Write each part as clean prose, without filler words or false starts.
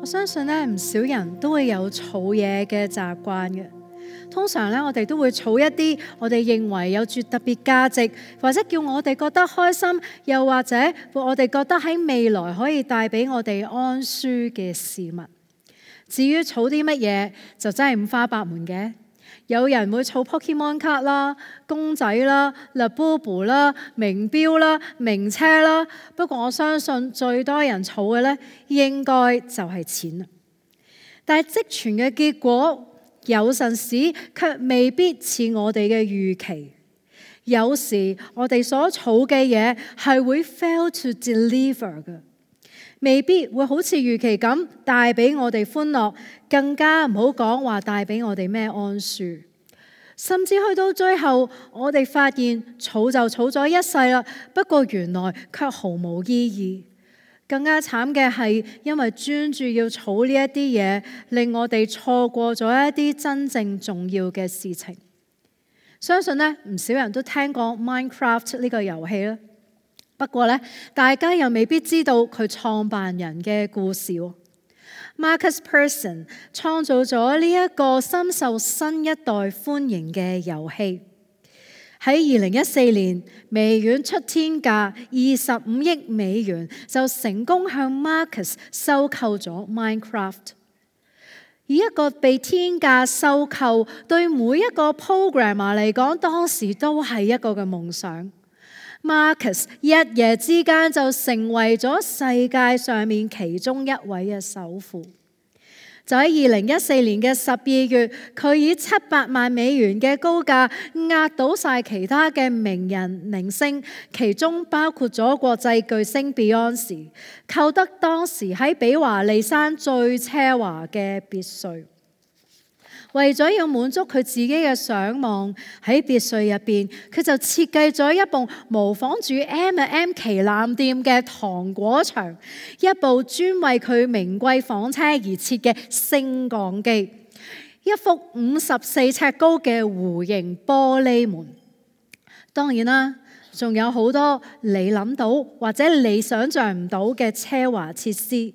相信咧，唔少人都會有儲嘢嘅習慣嘅。通常咧，我哋都會儲一啲我哋認為有住特別價值，或者叫我哋覺得開心，又或者我哋覺得喺未來可以帶俾我哋安舒嘅事物。至於儲啲乜嘢，就真係五花八門嘅。有人會儲 Pokemon 卡啦、公仔啦、Labubu 啦、名錶啦、名車啦。不過我相信最多人儲嘅咧，應該就係錢啦。但係積存嘅結果，有陣時卻未必似我哋嘅預期。有時我哋所儲嘅嘢係會 fail to deliver 嘅，未必會好似預期咁帶俾我哋歡樂，更加唔好講話帶俾我哋咩安舒。甚至去到最後，我哋發現儲就儲咗一世啦，不過原來卻毫無意義。更加慘嘅係，因為專注要儲呢一啲嘢，令我哋錯過咗一啲真正重要嘅事情。相信呢，唔少人都聽過 Minecraft 呢個遊戲啦。不過呢，大家又未必知道佢創辦人嘅故事。Markus Persson 創造咗呢一個深受新一代歡迎嘅遊戲。喺2014年，微軟出天價25億美元就成功向 Markus 收購咗 Minecraft。以一個被天價收購，對每一個 programmer 嚟講，當時都係一個嘅夢想。Markus 一夜之間就成為咗世界上面其中一位嘅首富。就喺2014年嘅12月，佢以700萬美元嘅高價壓倒晒其他嘅名人明星，其中包括咗國際巨星 Beyonce， 購得當時喺比華利山最奢華嘅別墅。為咗要滿足佢自己嘅想望，喺別墅入邊，佢就設計咗一部模仿住 M&M 旗艦店嘅糖果牆，一部專為佢名貴房車而設嘅升降機，一幅54尺高嘅弧形玻璃門。當然啦，仲有好多你諗到或者你想象唔到嘅奢華設施。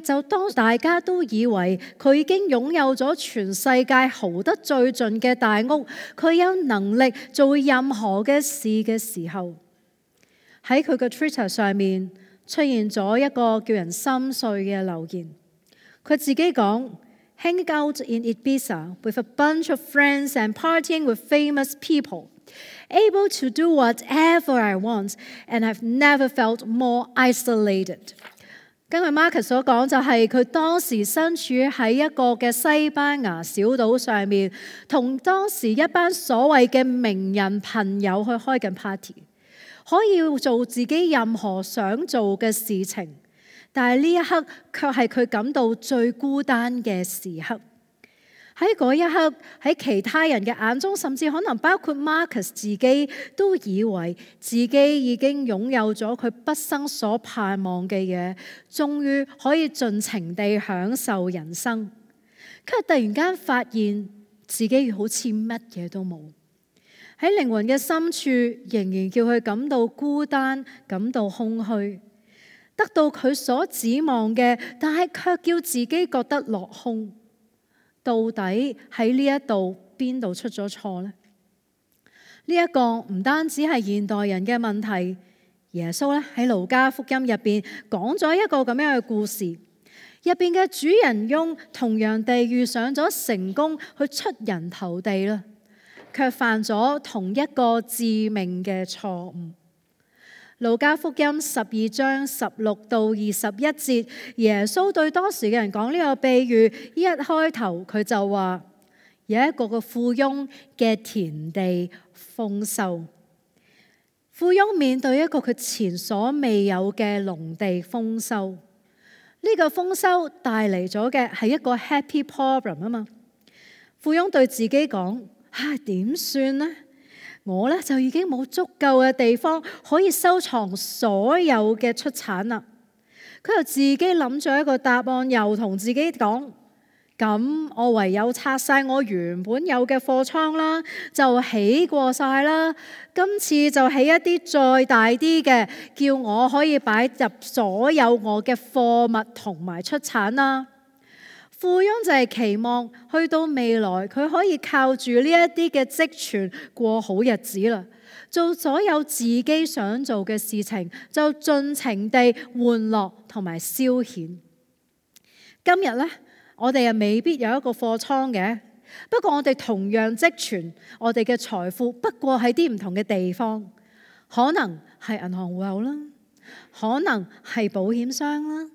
就當大家都以為佢已經擁有咗全世界豪得最盡嘅大屋，佢有能力做任何嘅事嘅時候，喺佢嘅 Twitter 上面出現咗一個叫人心碎嘅留言。佢自己講 ：Hanging out in Ibiza with a bunch of friends and partying with famous people, able to do whatever I want, and I've never felt more isolated。根據 Markus 所講，就係佢當時身處喺一個嘅西班牙小島上面，同當時一班所謂嘅名人朋友去開緊 party， 可以做自己任何想做嘅事情，但係呢一刻卻係佢感到最孤單嘅時刻。喺嗰一刻，喺其他人嘅眼中，甚至可能包括 Markus 自己，都以為自己已經擁有咗佢畢生所盼望嘅嘢，終於可以盡情地享受人生。佢突然間發現自己好似乜嘢都冇，喺靈魂嘅深處仍然叫佢感到孤單，感到空虛，得到佢所指望嘅，但係卻叫自己覺得落空。到底喺呢一度邊度出咗錯呢？呢一個唔單止係現代人嘅問題，耶穌咧喺路加福音入邊講咗一個咁樣嘅故事，入邊嘅主人翁同樣地遇上咗成功去出人頭地啦，卻犯咗同一個致命嘅錯誤。路加福音12章16到21節，耶穌對當時嘅人講呢個比喻，一開頭佢就話有一個嘅富翁嘅田地豐收。富翁面對一個佢前所未有嘅農地豐收，呢個豐收帶嚟咗嘅係一個 happy problem 啊嘛。富翁對自己講：點算呢？我咧就已經冇足夠嘅地方可以收藏所有嘅出產啦。佢又自己諗咗一個答案，又同自己講：咁我唯有拆晒我原本有嘅貨倉啦，就起過晒啦。今次就起一啲再大啲嘅，叫我可以擺入所有我嘅貨物同埋出產啦。富翁就係期望去到未來，佢可以靠住呢一啲嘅積存過好日子啦，做所有自己想做嘅事情，就盡情地玩樂同埋消遣。今日呢，我哋又未必有一個貨倉嘅，不過我哋同樣積存我哋嘅財富，不過喺啲唔同嘅地方，可能係銀行戶口啦，可能係保險箱啦，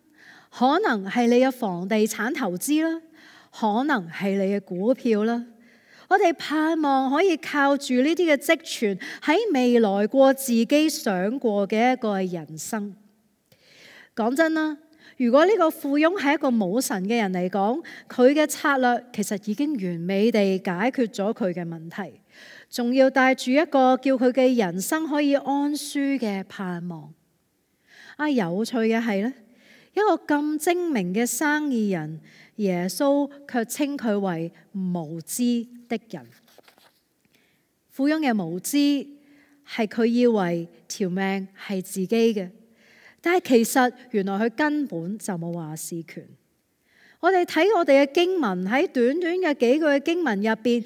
可能係你嘅房地產投資啦，可能係你嘅股票啦。我哋盼望可以靠住呢啲嘅積存，喺未來過自己想過嘅一個人生。講真啦，如果呢個富翁係一個冇神嘅人嚟講，佢嘅策略其實已經完美地解決咗佢嘅問題，仲要帶住一個叫佢嘅人生可以安舒嘅盼望。有趣嘅係呢，一個咁精明嘅生意人，耶穌卻稱佢為無知的人。富翁嘅無知係佢以為條命係自己嘅，但係其實原來佢根本就冇話事權。我哋睇我哋嘅經文，喺短短嘅幾句嘅經文入邊，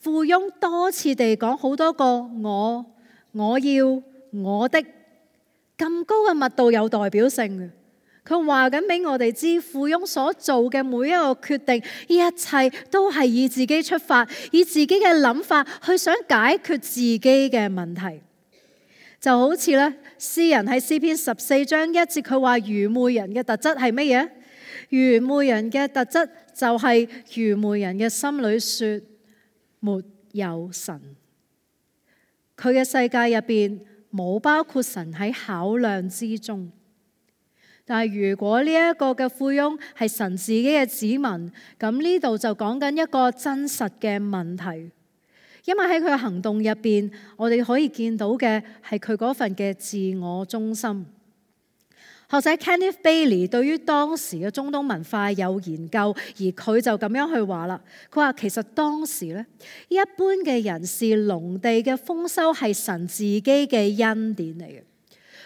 富翁多次地講好多個我要、我的，咁高嘅密度有代表性嘅。佢話緊俾我哋知，富翁所做嘅每一個決定，一切都係以自己出發，以自己嘅諗法去想解決自己嘅問題。就好似咧，詩人喺詩篇14章1節，佢話愚昧人嘅特質係乜嘢？愚昧人嘅特質就係愚昧人嘅心裏說沒有神。佢嘅世界入邊冇包括神喺考量之中。但係如果呢一個嘅富翁係神自己嘅子民，咁呢度就講緊一個真實嘅問題，因為喺佢嘅行動入邊，我哋可以見到嘅係佢嗰份嘅自我中心。學者 Kenneth Bailey 對於當時嘅中東文化有研究，而佢就咁樣去話啦。佢話其實當時咧，一般嘅人視農地嘅豐收係神自己嘅恩典嚟嘅。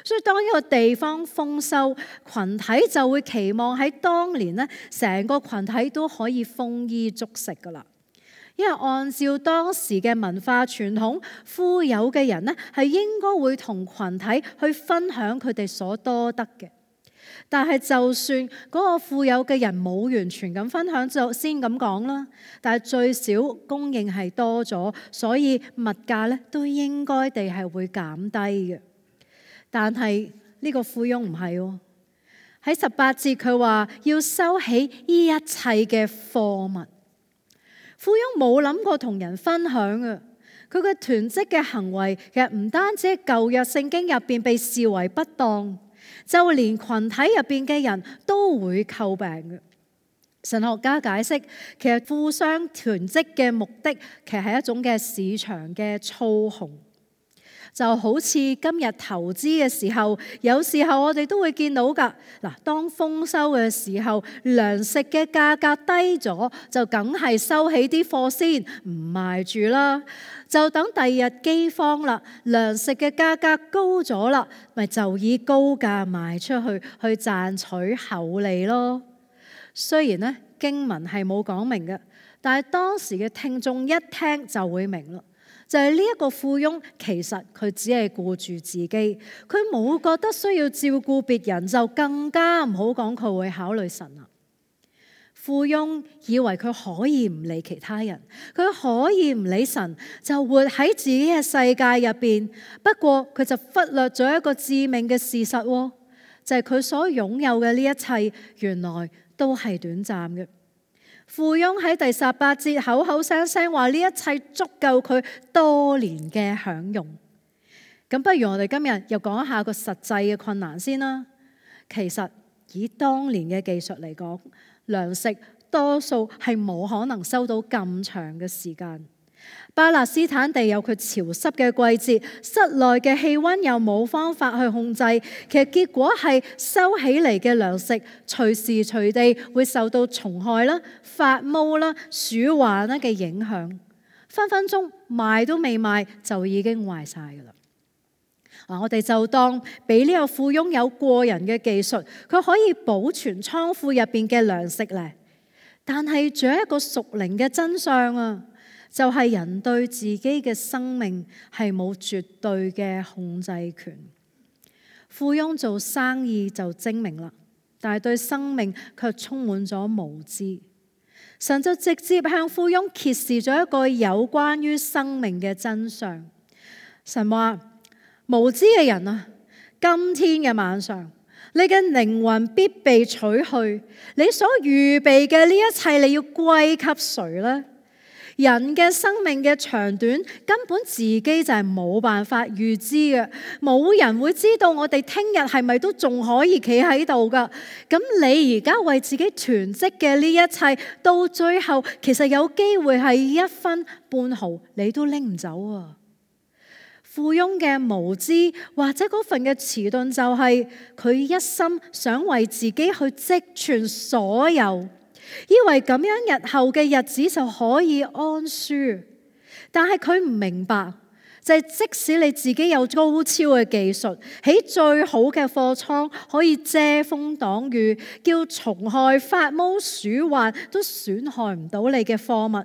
所以當一個地方豐收，群體就會期望喺當年咧，成個群體都可以豐衣足食噶啦。因為按照當時嘅文化傳統，富有嘅人咧係應該會同群體去分享佢哋所多得嘅。但係就算嗰個富有嘅人冇完全咁分享，就先咁講啦。但係最少供應係多咗，所以物價咧都應該地係會減低嘅。但係呢個富翁唔係喎，喺18節佢話要收起呢一切嘅貨物。富翁冇諗過同人分享啊！佢嘅囤積嘅行為其實唔單止喺舊約聖經入邊被視為不當，就連群體入邊嘅人都會詬病嘅。神學家解釋，其實互相囤積嘅目的其實係一種嘅市場嘅操控。就好似今日投資嘅時候，有時候我哋都會見到㗎。嗱，當豐收嘅時候，糧食嘅價格低咗，就梗係收起啲貨先，唔賣住啦。就等第二日饑荒啦，糧食嘅價格高咗啦，咪就以高價賣出去，去賺取厚利咯。雖然呢經文係冇講明嘅，但係當時嘅聽眾一聽就會明啦。就係呢一個富翁，其實佢只係顧住自己，佢冇覺得需要照顧別人，就更加唔好講佢會考慮神啦。富翁以為佢可以唔理其他人，佢可以唔理神，就活喺自己嘅世界入邊。不過佢就忽略咗一個致命嘅事實，就係佢所擁有嘅呢一切，原來都係短暫嘅。富翁喺第18節口口聲聲話呢一切足夠佢多年嘅享用。咁不如我哋今日又講一下個實際嘅困難先啦。其實以當年嘅技術嚟講，糧食多數係冇可能收到咁長嘅時間。巴勒斯坦地有佢潮濕嘅季節，室內嘅氣溫又冇方法去控制，其實結果係收起嚟嘅糧食隨時隨地會受到蟲害啦、發毛啦、鼠患啦嘅影響，分分鐘賣都未賣就已經壞晒㗎喇。我哋就當俾呢個富翁有過人嘅技術，佢可以保存倉庫入邊嘅糧食咧。但係仲有一個屬靈嘅真相啊，就係人對自己嘅生命係冇絕對嘅控制權。富翁做生意就精明啦，但係對生命卻充滿咗無知。神就直接向富翁揭示咗一個有關於生命嘅真相。神話：無知嘅人啊，今天嘅晚上，你嘅靈魂必被取去，你所預備嘅呢一切，你要歸給誰呢？人嘅生命嘅長短根本自己就係冇辦法預知嘅，冇人會知道我哋聽日係咪都仲可以企喺度噶。咁你而家為自己囤積嘅呢一切，到最後其實有機會係一分半毫你都拎唔走啊！富翁嘅無知或者嗰份嘅遲鈍，就係佢一心想為自己去積存所有，以為咁樣日後嘅日子就可以安舒。但係佢唔明白，就係即使你自己有高超嘅技術，喺最好嘅貨倉可以遮風擋雨，叫蟲害、發毛、鼠患都損害唔到你嘅貨物，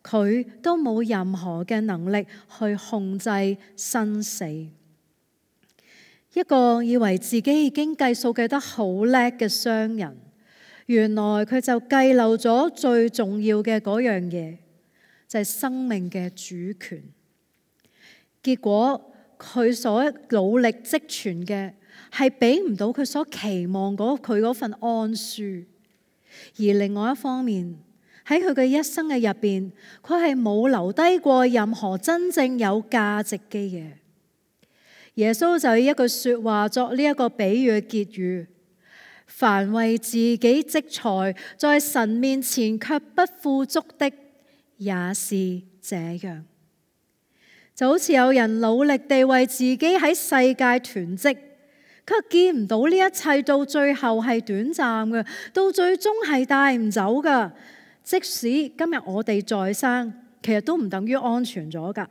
佢都冇任何嘅能力去控制生死。一個以為自己已經計數計得好叻嘅商人，原來佢就計漏咗最重要嘅嗰樣嘢，就係生命嘅主權。結果佢所努力積存嘅係俾唔到佢所期望佢嗰份安舒。而另外一方面，喺佢嘅一生嘅入邊，佢係冇留低過任何真正有價值嘅嘢。耶穌就以一句說話作呢一個比喻嘅結語：凡為自己積財，在神面前卻不富足的，也是這樣。就好似有人努力地為自己喺世界囤積，卻見唔到呢一切到最後係短暫嘅，到最終係帶唔走噶。即使今日我哋在生，其實都唔等於安全咗噶。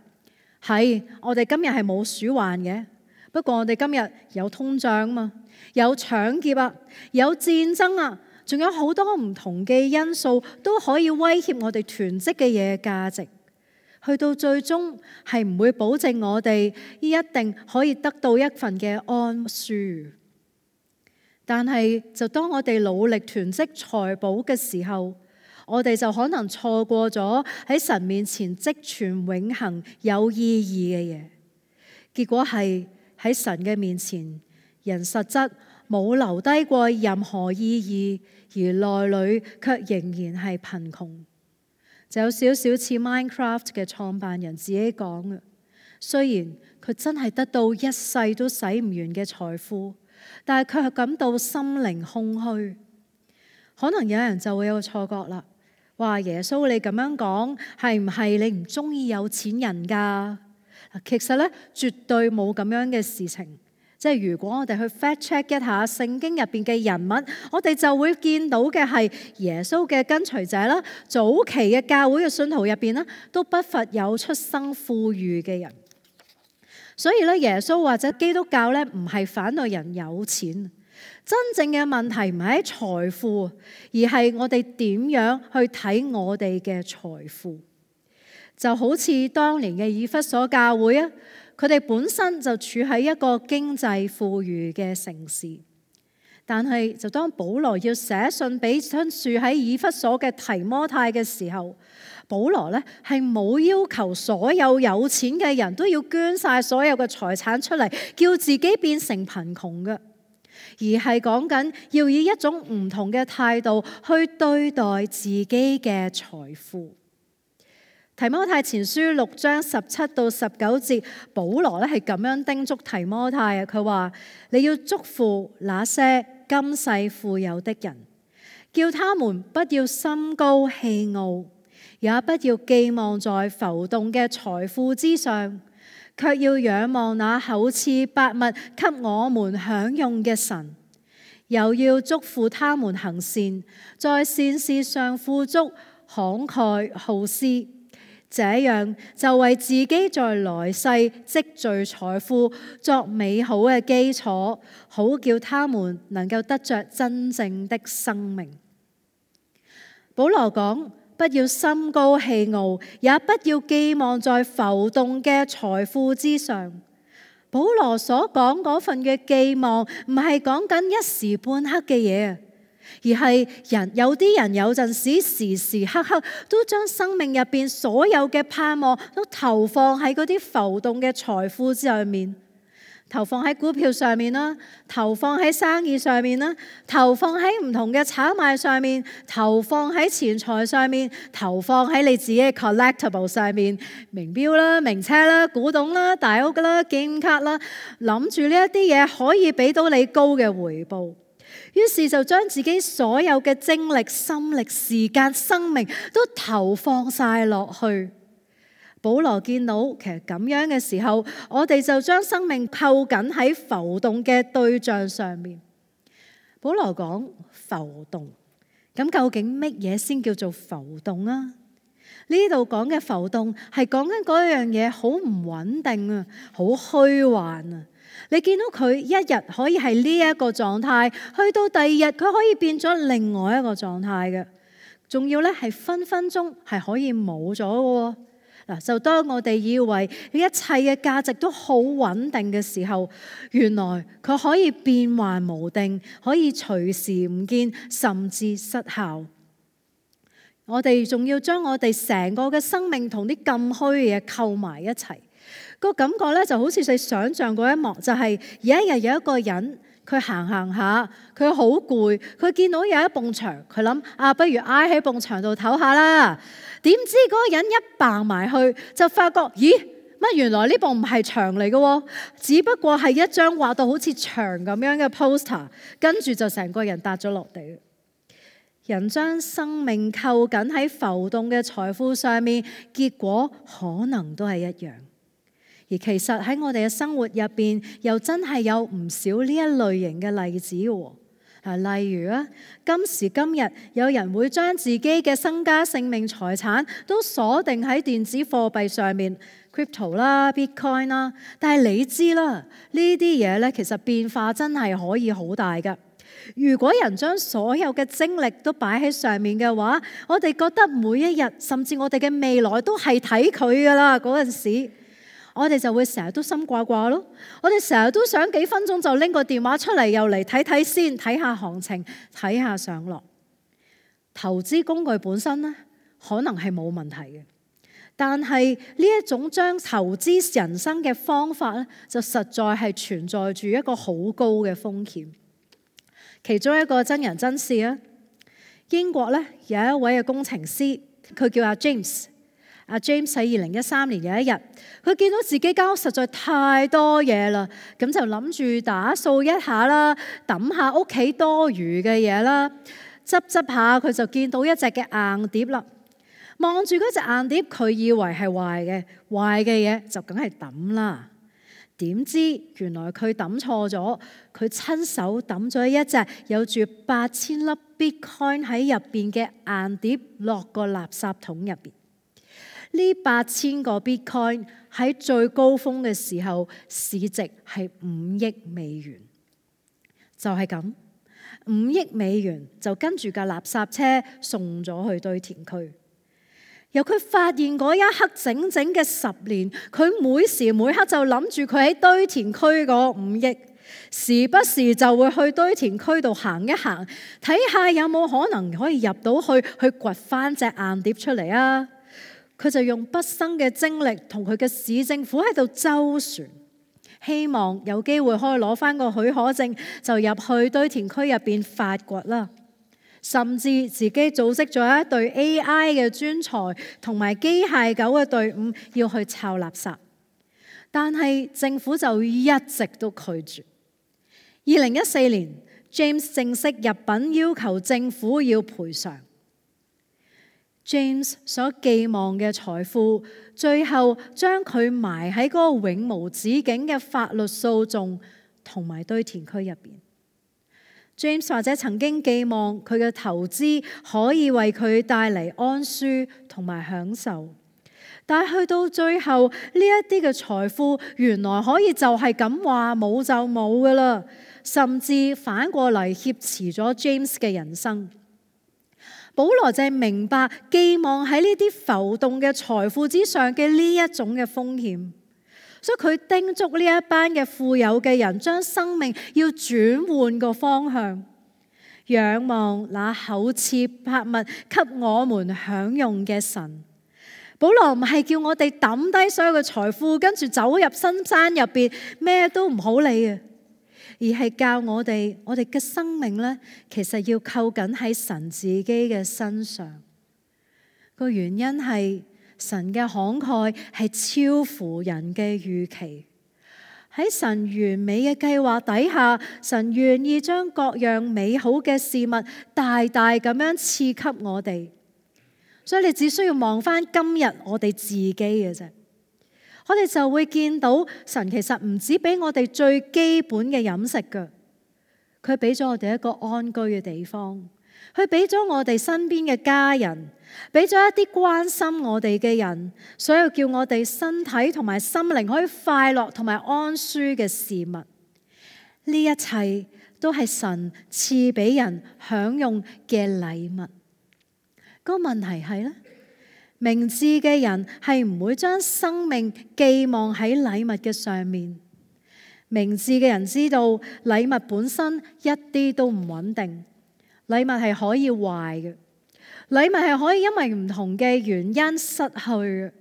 係，我哋今日係冇鼠患嘅，不過我哋今日有通脹啊嘛，有搶劫啊，有戰爭啊，仲有好多唔同嘅因素都可以威脅我哋囤積嘅嘢嘅價值。去到最終係唔會保證我哋一定可以得到一份嘅安舒。但係就當我哋努力囤積財寶嘅時候，我哋就可能錯過咗喺神面前積存永恆有意義嘅嘢。結果係喺神嘅面前，人實質冇留低過任何意義，而內裏卻仍然係貧窮。就有少少似 Minecraft 嘅創辦人自己講嘅，雖然佢真係得到一世都使唔完嘅財富，但係佢係感到心靈空虛。可能有人就會有個錯覺啦，話耶穌你咁樣講，係唔係你唔中意有錢人㗎？其實咧，絕對冇咁樣嘅事情。即係如果我哋去 fact check 一下聖經入邊嘅人物，我哋就會見到嘅係耶穌嘅跟隨者啦，早期嘅教會嘅信徒入邊啦，都不乏有出生富裕嘅人。所以咧，耶穌或者基督教咧，唔係反對人有錢，真正嘅問題唔係喺財富，而係我哋點樣去睇我哋嘅財富。就好似當年嘅以弗所教會啊，佢哋本身就處喺一個經濟富裕嘅城市，但係就當保羅要寫信俾住喺以弗所嘅提摩太嘅時候，保羅呢係冇要求所有有錢嘅人都要捐晒所有嘅財產出嚟，叫自己變成貧窮嘅，而係講緊要以一種唔同嘅態度去對待自己嘅財富。提摩太前書6章17到19節，保羅咧係咁樣叮囑提摩太啊，佢話你要囑咐那些今世富有的人，叫他們不要心高氣傲，也不要寄望在浮動嘅財富之上，卻要仰望那厚賜百物給我們享用嘅神。又要囑咐他們行善，在善事上富足，慷慨好施，這樣就為自己在來世積聚財富作美好嘅基礎，好叫他們能夠得着真正的生命。保羅講，不要心高氣傲，也不要寄望在浮動嘅財富之上。保羅所講嗰份嘅寄望，唔係講緊一時半刻嘅嘢，而係有啲人有陣時時時刻刻都將生命入邊所有嘅盼望都投放喺嗰啲浮動嘅財富上面，投放喺股票上面啦，投放喺生意上面啦，投放喺唔同嘅炒賣上面，投放喺錢財上面，投放喺你自己嘅 collectible 上面，名錶啦、名車啦、古董啦、大屋啦、紀念卡啦，諗住呢一啲嘢可以俾到你高嘅回報，於是就將自己所有嘅精力、心力、時間、生命都投放晒落去。保羅見到其實咁樣嘅時候，我哋就將生命扣緊喺浮動嘅對象上面。保羅講浮動，咁究竟乜嘢先叫做浮動啊？呢度講嘅浮動係講緊嗰樣嘢好唔穩定啊，好虛幻啊。你見到佢一日可以係呢一個狀態，去到第二日佢可以變咗另外一個狀態嘅，仲要咧係分分鐘係可以冇咗嘅。嗱，就當我哋以為一切嘅價值都好穩定嘅時候，原來佢可以變幻無定，可以隨時唔見，甚至失效。我哋仲要將我哋成個嘅生命同啲咁虛嘅嘢扣埋一齊，個感覺咧就好似你想象嗰一幕，就係有一日有一個人，佢行下，佢好攰，佢見到有一埲牆，佢諗不如挨喺埲牆度唞下啦。點知嗰個人一掟埋去，就發覺咦，乜原來呢埲唔係牆嚟嘅，只不過係一張畫到好似牆咁樣嘅 poster， 跟住就成個人笪咗落地。人將生命扣緊喺浮動嘅財富上面，結果可能都係一樣。而其實喺我哋嘅生活入邊，又真係有唔少呢一類型嘅例子喎。例如今時今日有人會將自己嘅身家性命財產都鎖定喺電子貨幣上面 ，crypto 啦、bitcoin 啦。但係你知啦，呢啲嘢咧其實變化真係可以好大噶。如果人將所有嘅精力都擺喺上面嘅話，我哋覺得每一日甚至我哋嘅未來都係睇佢噶啦。嗰陣時我哋就會成日都心掛掛咯，我哋成日都想幾分鐘就拎個電話出嚟，又嚟睇睇先，睇下行情，睇下上落。投資工具本身呢，可能係冇問題嘅，但係呢一種將投資人生嘅方法呢，就實在係存在住一個好高嘅風險。其中一個真人真事啊，英國呢有一位嘅工程師，佢叫阿 James。阿 James 喺2013年有一日，佢見到自己間屋實在太多嘢啦，咁就諗住打掃一下啦，揼下屋企多餘嘅嘢啦，執下佢就見到一隻嘅硬碟啦。望住嗰隻硬碟，佢以為係壞嘅嘢就梗係揼啦。點知原來佢揼錯咗，佢親手揼咗一隻有住8000粒 Bitcoin 喺入邊嘅硬碟落個垃圾桶入邊。呢8000個 Bitcoin 喺最高峰嘅時候，市值係5億美元，就係咁，5億美元就跟住架垃圾車送咗去堆填區。由佢發現嗰一刻整整嘅10年，佢每時每刻就諗住佢喺堆填區嗰5億，時不時就會去堆填區度行一行，睇下有冇可能可以入到去掘翻隻硬碟出嚟啊！佢就用畢生嘅精力同佢嘅市政府喺度周旋，希望有機會可以攞翻個許可證，就入去堆填區入邊發掘啦。甚至自己組織咗一隊 AI 嘅專才同埋機械狗嘅隊伍要去抄垃圾，但係政府就一直都拒絕。2014年 James 正式入稟要求政府要賠償。James 所寄望嘅財富，最後將佢埋喺嗰個永無止境嘅法律訴訟同埋堆填區入邊。James 或者曾經寄望佢嘅投資可以為佢帶嚟安舒同埋享受，但係去到最後，呢一啲嘅財富原來可以就係咁話冇就冇噶啦，甚至反過嚟挾持咗 James 嘅人生。保羅就係明白寄望喺呢啲浮動嘅財富之上嘅呢一種嘅風險，所以佢叮囑呢一班嘅富有嘅人將生命要轉換個方向，仰望那厚賜百物給我們享用嘅神。保羅唔係叫我哋抌低所有嘅財富，跟住走入深山入邊咩都唔好理啊，而係教我哋嘅生命呢，其實要扣緊喺神自己嘅身上。個原因係神嘅慷慨係超乎人嘅預期。喺神完美嘅計劃底下，神願意將各樣美好嘅事物大大咁樣賜給我哋。所以你只需要望翻今日我哋自己嘅啫，我哋就會見到神其實唔止俾我哋最基本嘅飲食㗎，佢俾咗我哋一個安居嘅地方，佢俾咗我哋身邊嘅家人，俾咗一啲關心我哋嘅人，所有叫我哋身體同埋心靈可以快樂同埋安舒嘅事物，呢一切都係神賜俾人享用嘅禮物。個問題係咧，明智嘅人係唔會將生命寄望喺禮物嘅上面。明智嘅人知道禮物本身一啲都唔穩定，禮物係可以壞嘅，禮物係可以因為唔同嘅原因失去嘅。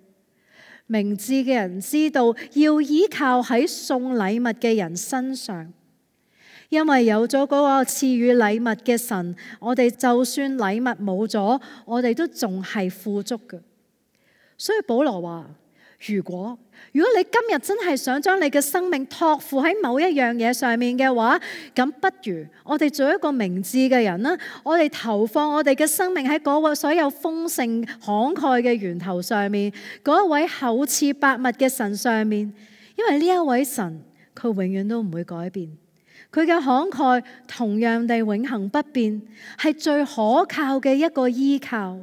明智嘅人知道要依靠喺送禮物嘅人身上。因為有咗嗰個賜予禮物嘅神，我哋就算禮物冇咗，我哋都仲係富足嘅。所以保羅話，如果你今日真係想將你嘅生命託付喺某一樣嘢上面嘅話，咁不如我哋做一個明智嘅人啦，我哋投放我哋嘅生命喺嗰個所有豐盛慷慨嘅源頭上面，嗰一位厚賜百物嘅神上面，因為呢一位神佢永遠都唔會改變。佢嘅慷慨同樣地永恆不變，係最可靠嘅一個依靠。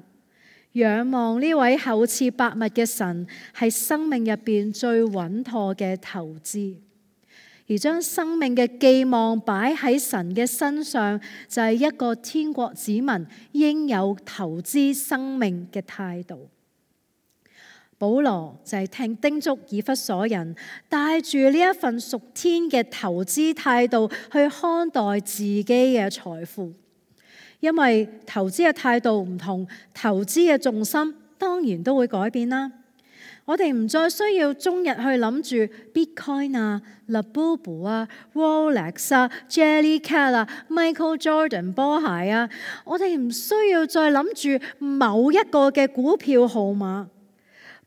仰望呢位厚賜百物嘅神，係生命入邊最穩妥嘅投資。而將生命嘅寄望擺喺神嘅身上，就係一個天國子民應有投資生命嘅態度。保羅就係叮囑以弗所人，帶住呢一份屬天嘅投資態度去看待自己嘅財富，因為投資嘅態度唔同，投資嘅重心當然都會改變啦。我哋唔再需要終日去諗住 Bitcoin 啊、Labubu 啊、Rolex 啊、Jellycat 啊、Michael Jordan 波鞋啊，我哋唔需要再諗住某一個嘅股票號碼。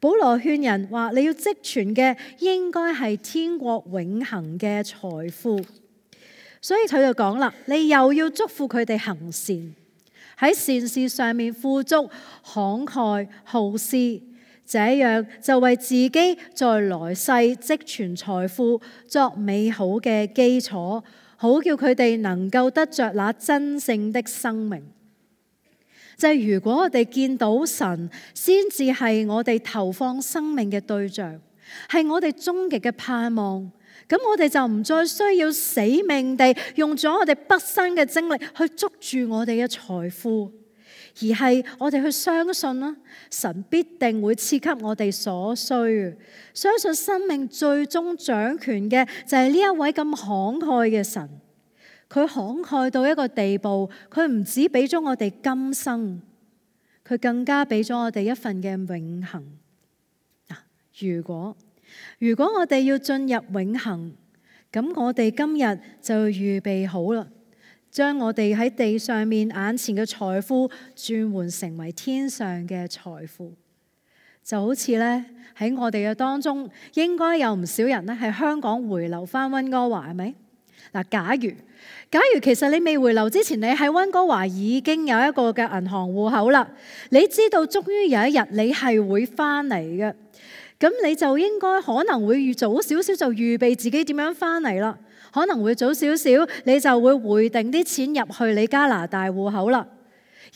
保羅勸人話，你要積存嘅應該係天國永恆嘅財富，所以佢就講啦，你又要囑咐佢哋行善，喺善事上面富足、慷慨、好施，這樣就為自己在來世積存財富作美好嘅基礎，好叫佢哋能夠得着那真正的生命。就係如果我哋見到神，先至係我哋投放生命嘅對象，係我哋終極嘅盼望，咁我哋就唔再需要死命地用咗我哋畢生嘅精力去捉住我哋嘅財富，而係我哋去相信啦，神必定會賜給我哋所需。相信生命最終掌權嘅就係呢一位咁慷慨嘅神。佢慷慨到一個地步，佢唔止俾咗我哋今生，佢更加俾咗我哋一份嘅永恆。如果我哋要進入永恆，咁我哋今日就要預備好啦，將我哋喺地上面眼前嘅財富轉換成為天上嘅財富。就好似咧喺我哋嘅當中，應該有唔少人咧喺香港回流翻溫哥華，係咪？嗱，假如其實你未回流之前，你喺溫哥華已經有一個嘅銀行戶口啦，你知道終於有一日你係會翻嚟嘅，咁你就應該可能會早少少就預備自己點樣翻嚟啦，可能會早少少你就會匯定啲錢入去你加拿大戶口啦。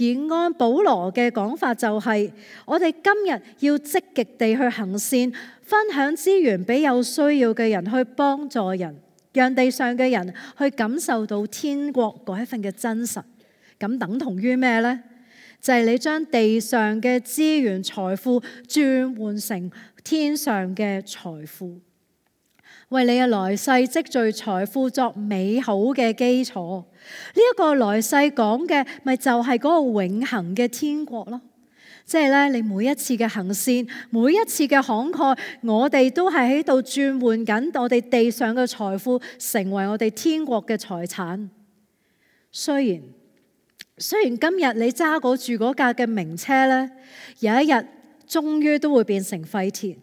而按保羅嘅講法就係，我哋今日要積極地去行善，分享資源俾有需要嘅人，去幫助人，讓地上嘅人去感受到天國嗰一份嘅真實。咁等同於咩呢？就係你將地上嘅資源財富轉換成天上嘅財富，為你嘅來世積聚財富作美好嘅基礎。呢一個來世講嘅咪就係嗰個永恆嘅天國咯。即係咧，你每一次嘅行善，每一次嘅慷慨，我哋都係喺度轉換緊我哋地上嘅財富，成為我哋天國嘅財產。雖然今日你揸住嗰架嘅名車咧，有一日終於都會變成廢鐵。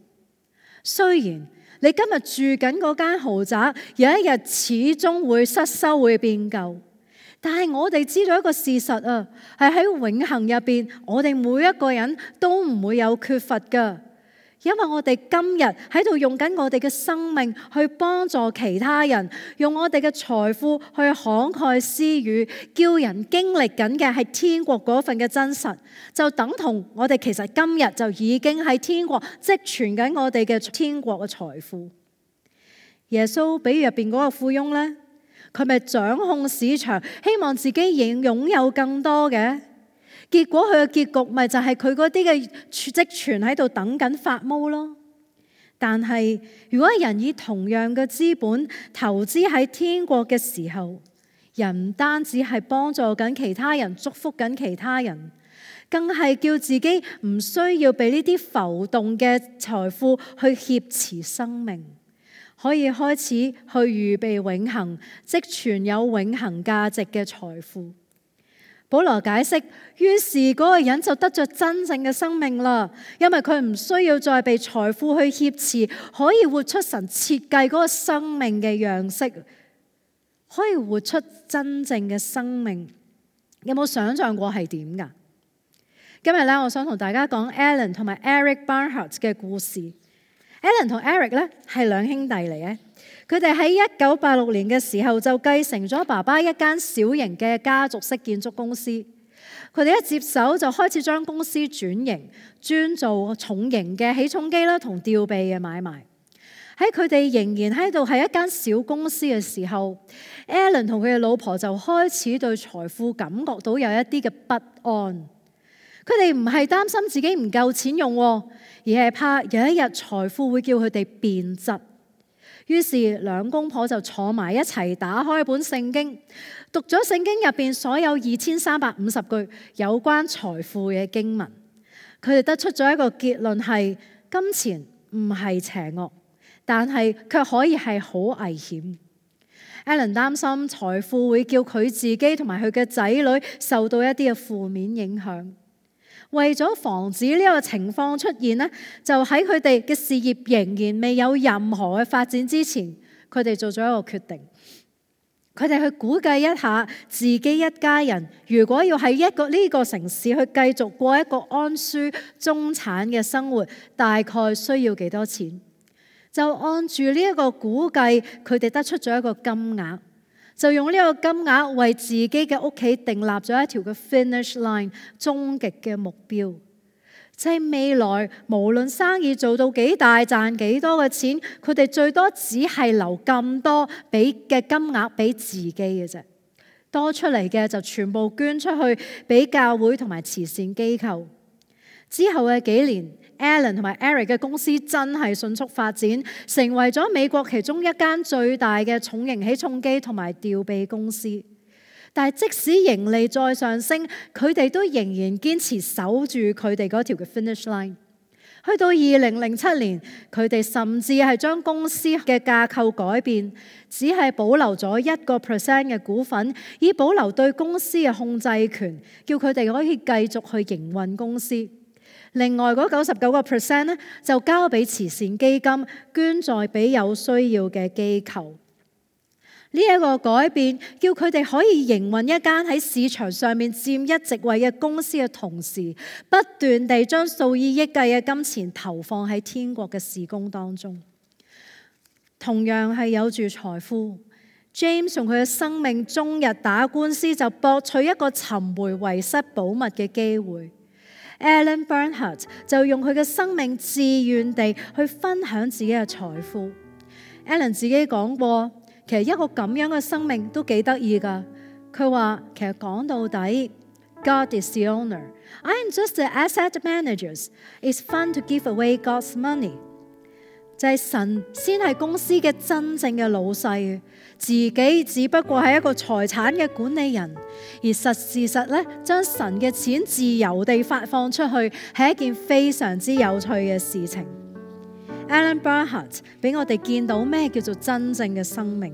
雖然你今日住緊嗰間豪宅，有一日始終會失修，會變舊。但係我哋知道一個事實啊，係喺永恆入邊，我哋每一個人都唔會有缺乏噶，因為我哋今日喺度用緊我哋嘅生命去幫助其他人，用我哋嘅財富去慷慨施予，叫人經歷緊嘅係天國嗰份嘅真實，就等同我哋其實今日就已經喺天國積存緊我哋嘅天國嘅財富。耶穌比喻入邊嗰個富翁呢，佢咪掌控市場，希望自己擁有更多嘅，結果佢嘅結局咪就係佢嗰啲嘅積存喺度等緊發毛咯。但係如果人以同樣嘅資本投資喺天國嘅時候，人唔單止係幫助緊其他人，祝福緊其他人，更係叫自己唔需要被呢啲浮動嘅財富去挾持生命，可以開始去預備永恆，積存有永恆價值嘅財富。保羅解釋，於是嗰個人就得着真正嘅生命啦，因為佢唔需要再被財富去挾持，可以活出神設計嗰個生命嘅樣式，可以活出真正嘅生命。有冇想象過係點㗎？今日咧，我想同大家講 Alan 同埋 Eric Barnhart 嘅故事。Alan 同 Eric 咧係兩兄弟嚟嘅，佢哋喺1986年嘅時候就繼承咗爸爸一間小型嘅家族式建築公司。佢哋一接手就開始將公司轉型，專做重型嘅起重機啦同吊臂嘅買賣。喺佢哋仍然喺度係一間小公司嘅時候， Alan 同佢嘅老婆就開始對財富感覺到有一啲嘅不安。佢哋唔係擔心自己唔夠錢用，而係怕有一日財富會叫佢哋變質。於是兩公婆就坐埋一齊，打開本聖經，讀咗聖經入邊所有2350句有關財富嘅經文。佢哋得出咗一個結論，係金錢唔係邪惡，但係卻可以係好危險。Alan 擔心財富會叫佢自己同埋佢嘅仔女受到一啲嘅負面影響。為咗防止呢個情況出現呢，就喺佢哋嘅事業仍然未有任何嘅發展之前，佢哋做咗一個決定。佢哋去估計一下自己一家人如果要喺呢個城市去繼續過一個安舒中產嘅生活，大概需要幾多錢？就按住呢一個估計，佢哋得出咗一個金額。就用呢個金額為自己嘅屋企訂立咗一條嘅 finish line， 終極嘅目標，就係未來無論生意做到幾大，賺幾多嘅錢，佢哋最多只係留咁多俾嘅金額俾自己嘅啫，多出嚟嘅就全部捐出去俾教會同埋慈善機構。之後嘅幾年，Alan 同埋 Eric 嘅公司真係迅速發展，成為咗美國其中一間最大嘅重型起重機同埋吊臂公司。但係即使盈利再上升，佢哋都仍然堅持守住佢哋嗰條嘅 finish line。去到2007年，佢哋甚至係將公司嘅架構改變，只係保留咗1% 嘅股份，以保留對公司嘅控制權，叫佢哋可以繼續去營運公司。另外嗰99% 咧，就交俾慈善基金，捐在俾有需要嘅機構。呢一個改變，叫佢哋可以營運一間喺市場上面佔一席位嘅公司嘅同時，不斷地將數以億計嘅金錢投放喺天國嘅事工當中。同樣係有住財富，James 用佢嘅生命終日打官司，就博取一個尋回遺失寶物嘅機會。Alan Bernhardt 就用佢嘅生命自願地去分享自己嘅財富。Alan 自己講過，其實一個咁樣嘅生命都幾得意㗎。佢話其實講到底 God is the owner. I am just the asset managers. It's fun to give away God's money. 就係神先係公司嘅真正嘅老細，自己只不過係一個財產嘅管理人，而事實咧，將神嘅錢自由地發放出去係一件非常之有趣嘅事情。Alan Bernhardt 俾我哋見到咩叫做真正嘅生命，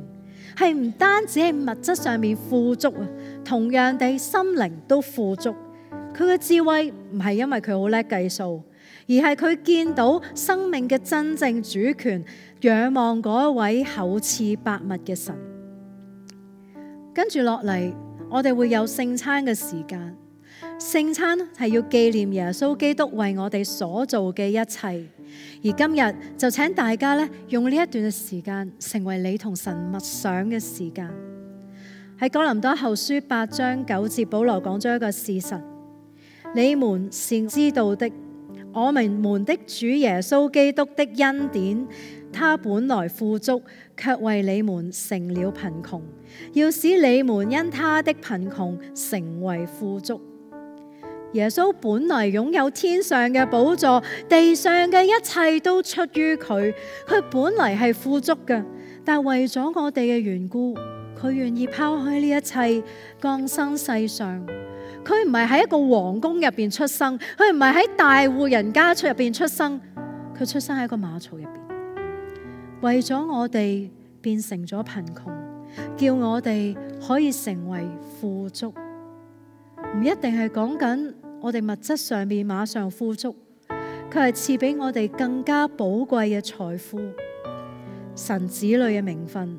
係唔單止係物質上面富足啊，同樣地心靈都富足。佢嘅智慧唔係因為佢好叻計數，而係佢見到生命嘅真正主權，仰望嗰一位厚賜百物嘅神。跟住落嚟，我哋會有聖餐嘅時間。聖餐係要紀念耶穌基督為我哋所做嘅一切。而今日就請大家咧，用呢一段嘅時間，成為你同神默想嘅時間。喺哥林多後書8章9節，保羅講咗一個事實：你們是知道的，我們的主耶穌基督的恩典，他本來富足，卻為你們成了貧窮，要使你們因他的貧窮成為富足。耶穌本來擁有天上嘅寶座，地上嘅一切都出於佢。佢本來係富足嘅，但為咗我哋嘅緣故，佢願意拋開呢一切，降生世上。佢唔係喺一個皇宮入邊出生，佢唔係喺大戶人家入邊出生，佢出生喺一個馬槽入邊，為咗我哋變成咗貧窮，叫我哋可以成為富足。唔一定係講緊我哋物質上面馬上富足，佢係賜俾我哋更加寶貴嘅財富，神子女嘅名分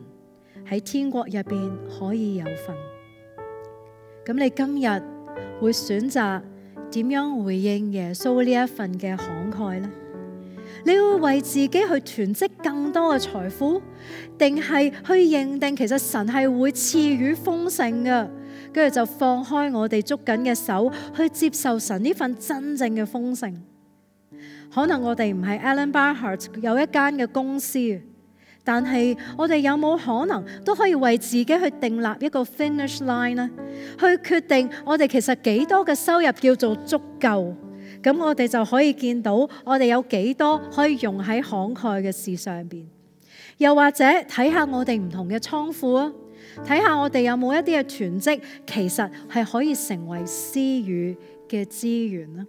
喺天國入邊可以有份。咁你今日會選擇點樣回應耶穌呢一份嘅慷慨呢？你會為自己去囤積更多嘅財富，定係去認定其實神係會賜予豐盛嘅？跟住就放開我哋捉緊嘅手，去接受神呢份真正嘅豐盛。可能我哋唔係 Alan Bernhardt 有一間嘅公司，但係我哋有冇可能都可以為自己去訂立一個 finish line 呢？去決定我哋其實幾多嘅收入叫做足夠，咁我哋就可以見到我哋有幾多可以用喺慷慨嘅事上邊。又或者睇下我哋唔同嘅倉庫啊，睇下我哋有冇一啲嘅囤積，其實係可以成為施予嘅資源啦。